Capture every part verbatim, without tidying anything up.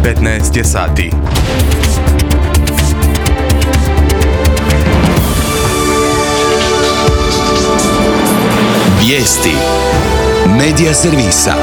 petnaest je sati. Vijesti Medija servisa.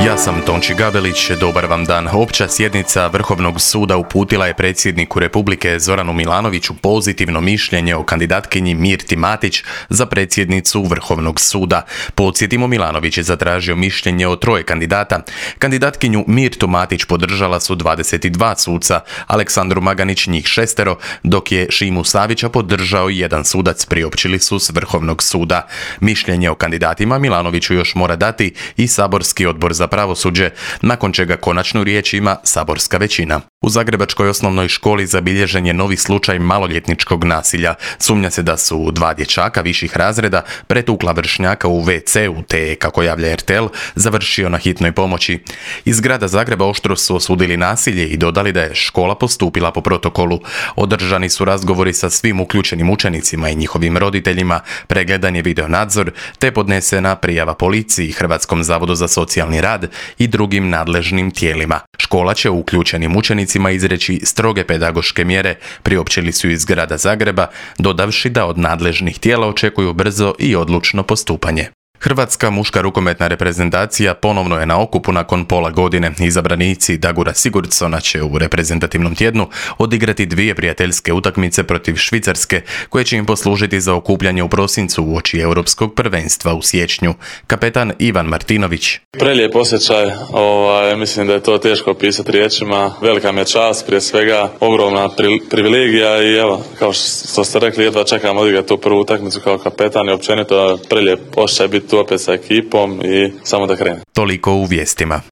Ja sam Tonči Gabelić, dobar vam dan. Opća sjednica Vrhovnog suda uputila je predsjedniku Republike Zoranu Milanoviću pozitivno mišljenje o kandidatkinji Mirti Matić za predsjednicu Vrhovnog suda. Podsjetimo, Milanović je zatražio mišljenje o troje kandidata. Kandidatkinju Mirtu Matić podržala su dvadeset dva suca, Aleksandru Maganić njih šestero, dok je Šimu Savića podržao jedan sudac, priopćili su s Vrhovnog suda. Mišljenje o kandidatima Milanoviću još mora dati i saborski odbor za pravosuđe, nakon čega konačnu riječ ima saborska većina. U zagrebačkoj osnovnoj školi zabilježen je novi slučaj maloljetničkog nasilja. Sumnja se da su dva dječaka viših razreda pretukla vršnjaka u ve ce u te je, kako javlja er te el, završio na hitnoj pomoći. Iz grada Zagreba oštro su osudili nasilje i dodali da je škola postupila po protokolu. Održani su razgovori sa svim uključenim učenicima i njihovim roditeljima, pregledan je video nadzor, te podnesena prijava policiji, Hrvatskom zavodu za socijalni rad i drugim nadležnim tijelima. Škola će uključenim učenicima izreći stroge pedagoške mjere, priopćili su iz grada Zagreba, dodavši da od nadležnih tijela očekuju brzo i odlučno postupanje. Hrvatska muška rukometna reprezentacija ponovno je na okupu nakon pola godine. Izabranici Dagura Sigurdsona će u reprezentativnom tjednu odigrati dvije prijateljske utakmice protiv Švicarske, koje će im poslužiti za okupljanje u prosincu uoči Europskog prvenstva u siječnju. Kapetan Ivan Martinović. Prelijep osjećaj, ovaj, mislim da je to teško opisati riječima. Velika mi je čast, prije svega ogromna pri, privilegija i evo, kao što ste rekli, jedva čekam odigrati tu prvu utakmicu kao kapetan i općenito prelijep osjećaj biti tu opet sa ekipom i samo da krene. Toliko u vijestima.